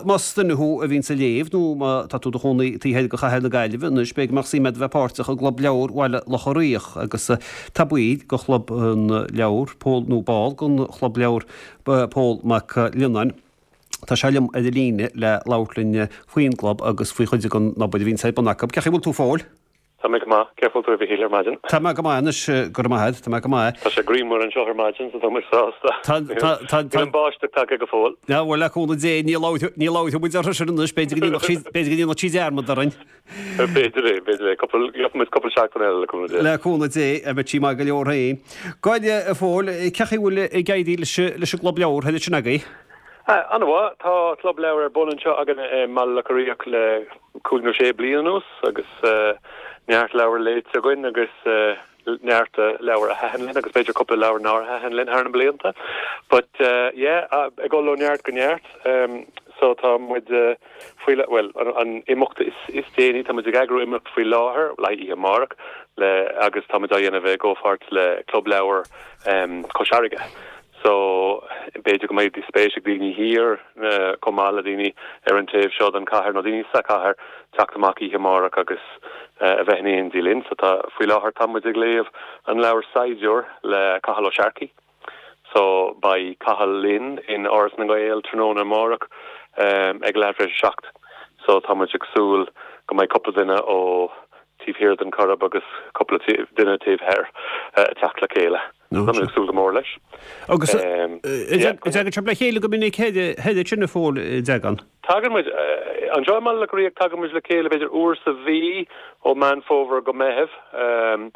Más duine thú a bhíonns ag léamh nó má tá tú i do chónaí taobh thoir de chathair na Gaillimhe anois, b'fhéidir go mbeadh suim agat a bheith páirteach i gClub Leabhar Bhaile Locha Riach agus tá baill de Chlub na Leabhar, Pól nó ball den Chlub Leabhar, Pól Mac Lionnáin. Tá sé liom ar an líne le labhairt linn faoin gclub agus faoi chuid den obair a bhíonns ar bun acu. Cén chaoi a bhfuil tú a Phóil? Tá mé go maith. Cén chaoi a bhfuil tú a Mhichíl ar maidin? Tá mé go maith anois, go raibh maith agat. Tá mé go maith. Tá sé grianmhar anseo ar maidin so tá muid sásta. Tá, tá, tá, Níl an báisteach tagtha go fóill. Á, bhuel, le cúnamh Dé, ní labharfaidh, ní labharfaidh muid uirthi sin anois, b'fhéidir go ndéanfadh sí, b'fhéidir go ndéanfadh sí dearmad orainn. B'fhéidir é, b'fhéidir é. Cúpla, gheobhaidh muid cúpla seachtain eile le cúnamh Dé. Le cúnamh Dé, beidh sí maith go leor féin. Gabh i leith, a Phóil, cén chaoi a bhfuil ag éirí leis, leis an gClub Leabhar thoir ansin agaibh? An-mhaith. Tá Club Leabhar ar bun anseo againn i mBaile Locha Riach le cúig nó sé bliain anuas agus neart leabhar léite againn agus neart leabhar a thaitin linn agus b'fhéidir cúpla leabhar nár thaitin linn thar na blianta. But yeah, ag dul ó neart go neart. So tá muid faoi, bhuel, an imeacht is déanaí, tá muid ag eagrú imeacht faoi láthair, le oíche amárach, le agus tá muid á dhéanamh i gcomhpháirt le Club Leabhar Chois Fharraige. So, b'fhéidir go mbeidh spéis ag daoine thiar, chomh maith le daoine ar an taobh seo den chathair, nó daoine sa chathair, teacht amach oíche amárach agus a bheith in éindí linn. So tá, faoi láthair tá muid ag léamh an leabhar Saighdiúir le Cathal Ó Searcaigh. So, beidh Cathal linn in Áras na nGael tráthnóna amárach ag leath tar éis a 7. So, tá muid ag súil go mbeidh cúpla duine ó taobh thiar den Coirib agus cúpla duine taobh thoir ag teacht le chéile. Tá mé ag súil go mór leis. Agus an dtagann sibh le chéile go minic thoir ansin a Phóil, an dtagann? Tagann muid. Anseo i mBaile Locha Riach tagann muid le chéile b'fhéidir uair sa mhí ó Meán Fómhair go Meitheamh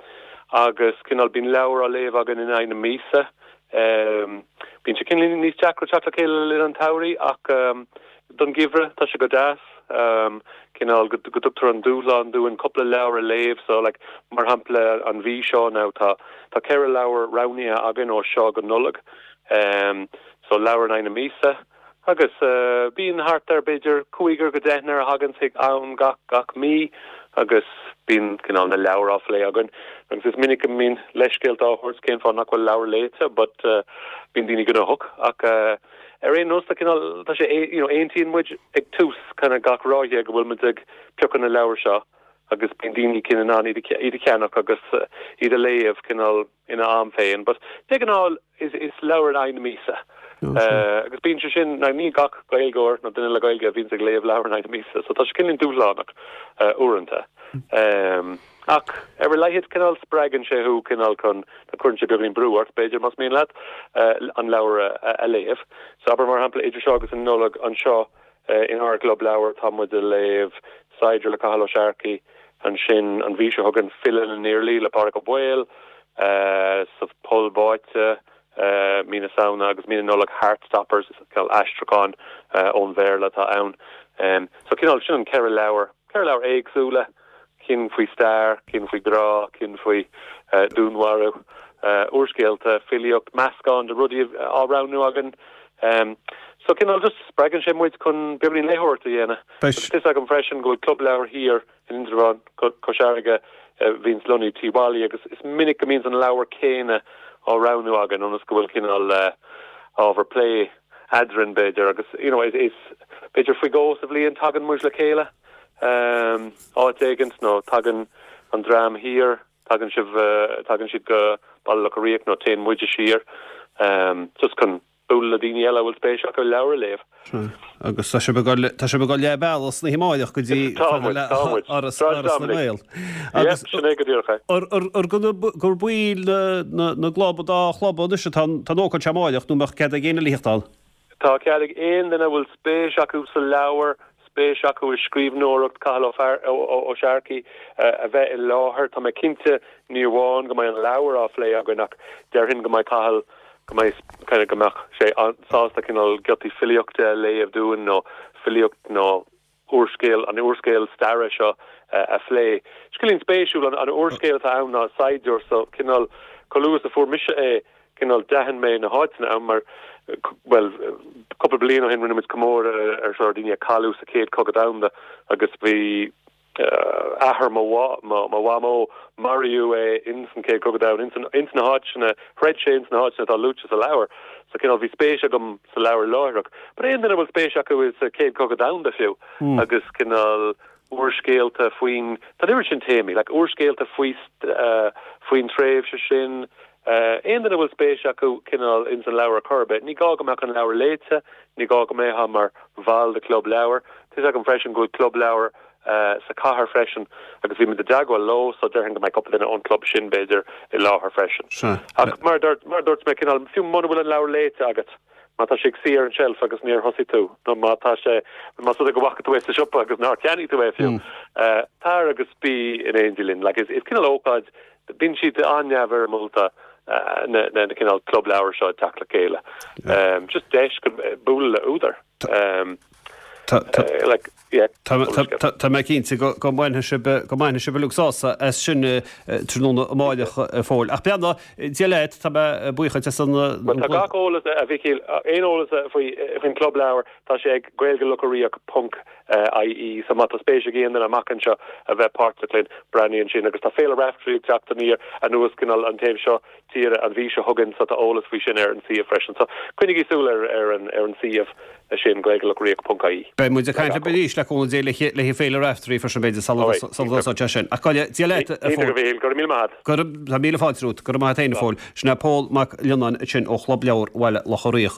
agus cineál bíonn leabhar á léamh againn in aghaidh na míosa. Bíonn sé cineál níos deacra teacht le chéile le linn an tsamhraidh ach Don gheimhreadh, tá sé go deas, cineál go dtugtar an dúshlán dúinn cúpla leabhar a léamh. So, like, mar shampla, an mhí seo now, tá tá 4 leabhar roghnaithe againn ó seo go Nollaig. So, leabhar in aghaidh na míosa. Agus bíonn thart ar b'fhéidir cúigear go deichniúr a thagann chuig am gach gach mí agus bíonn cineál na leabhair á phlé againn. Agus is minic go mbíonn leithscéalta á thabhairt cén fáth nach bhfuil leabhar léite but bíonn daoine gnóthach ach Ar aon nós, tá cineál, tá sé, you know, aontaíonn muid ag tús kind of gach ráithe go bhfuil muid ag piocadh na leabhar seo agus bíonn daoine cineál in ann iad a, iad a cheannach agus iad a léamh cineál ina am féin. But de ghnáth is, is leabhar in aghaidh na míosa. Agus bíonn sé sin, now ní gach Gaeilgeoir nó duine le Gaeilge a bhíonns ag léamh leabhar in aghaidh na míosa, so tá sé cineál dúshlánach uaireanta. Ach ar a laghad, cineál spreagann sé thú cineál chun, nó cuireann sé beagáinín brú ort, b'fhéidir, más mian leat, an leabhar a léamh. So abair, mar shampla, idir seo agus an Nollaig, anseo inár gClub Leabhar, tá muid ag léamh Saighdiúir le Cathal Ó Searcaigh, ansin an mhí seo chugainn, File na nIarlaí le Pádraig Ó Baoill, Sa Pholl Báite, mí na Samhna agus mí na Nollag, Heartstoppers, cineál aistriúchán ón Bhéarla atá ann. So cineál, sin an 4 leabhar, 4 leabhar éagsúla. cinn faoi stair, cinn faoi ghrá, cinn faoi dúnmharú, úrscéalta, filíocht, meascán de rudaí á roghnú againn. So cineál just spreagann sé muid chun beagáinín léitheoireacht a dhéanamh. Agus tá fhios agam freisin go bhfuil club leabhar thiar in Indreabhán, Cois Fharraige, a bhíonns lonnaithe Tí Mholly agus is minic go mbíonns an leabhar céanna á roghnú againn ionas go bhfuil cineál ábhar plé eadrainn b'fhéidir agus you know is b'fhéidir faoi dhó sa bhliain tagann muid le chéile. áit éigint nó tagann an dream thiar, tagann sibh, tagann siad go Baile Locha Riach nó téann muide siar just chun bualadh le daoine eile a bhfuil spéis acu leabhair a léamh. Sea. Agus tá sibh ag dul, tá sibh ag dul leath bealaigh san oíche amáireach go dtí Tá muid, tá muid. Áras, Áras na nGael. Agus sin é go díreach é. Ar gur baill na, na gclub, an dá chlub anois atá an, tá an ócáid seo amáireach nó mbeadh cead ag éinne eile a theacht ann? Tá cead ag aon duine a bhfuil spéis acu sa leabhar, spéis acu i scríbhneoireacht Cathal Ó Searcaigh a bheith i láthair. Tá mé cinnte ní amháin go mbeidh an leabhar á phlé againn ach déarfainn go mbeidh Cathal, go mbeidh, kind of, go mbeadh sé sásta cineál giotaí filíochta a léamh dúinn nó filíocht nó úrscéal, an úrscéal staire seo a phlé. Scéilín spéisiúil an úrscéal atá ann ná Saighdiúir so cineál chomh luath is a fuair mise é cineál d'aithin mé na háiteanna ann mar bhuel cúpla bliain ó shin rinne muid comóradh ar sort daoine a cailleadh sa Chéad Chogadh Domhanda agus bhí. Athair mo mhamó, maraíodh é ins an Chéad Chogadh Domhanda, ins ins na háiteanna, throid sé ins na háiteanna atá luaite sa leabhar. So cineál bhí spéis agam sa leabhar láithreach. But aon duine a bhfuil spéis acu sa Chéad Chogadh Domhanda fiú agus cineál úrscéalta faoin, tá an oiread sin téamaí, like úrscéalta faoi faoin tréimhse sin, aon duine a bhfuil spéis acu cineál ins an leabhar ar chor ar bith, ní gá go mbeadh an leabhar léite, ní gá go mbeifeá mar bhall de chlub leabhar. Tá fhios agam freisin go bhfuil club leabhar sa chathair freisin agus bhí muid i dteagmháil leo so déarfainn go mbeidh cúpla duine ón club sin b'fhéidir i láthair freisin. Ach mar a dúirt, mar a dúirt mé cineál fiú muna bhfuil an leabhar léite agat, má tá sé ag suí ar an tseilf agus níor thosaigh tú nó má tá sé, más rud é go bhfaca tú é sa siopa agus nár cheannaigh tú é fiú, tar agus bí in éindí linn. Like is, is cineál ócáid, bíonn siad an-neamhfhoirmiúlta na, na, na cineál club leabhar seo ag teacht le chéile. Just deis go bualadh le údar. Tá mé cinnte go mbainfidh sibh go mbainfidh sibh uilig sásamh as sin tráthnóna amáireach a Phóil. Ach beannacht Dé leat, tá mé buíoch duit as an. Bhuel tá gach eolas, a Mhíchíl, aon eolas faoi faoin Club Leabhar, tá sé ag gaeilgelocharíoch ponc ie so má tá spéis ag aon duine amach anseo a bheith páirteach linn, breathnaigh ansin. Agus tá Féile Raifteirí ag teacht aniar anuas cineál an taobh seo tíre an mhí seo chugainn so tá eolas faoi sin ar an suíomh freisin. So coinnigí súil ar ar an ar an suíomh sin gaeilgelocharíoch ponc ie. Beidh muid ag caint libh arís le cúnamh Dé le haghaidh Féile Raifteirí freisin b'fhéidir sula dtosóidh sé sin. Ach go Dia leat a Phóil. Iontach a Mhíchíl, go raibh míle maith agat. Go raibh, tá míle fáilte romhat, go raibh maith agat féin a Phóil. Sin é Pól Mac Lionnáin ansin ó Chlub Leabhar Bhaile Locha Riach.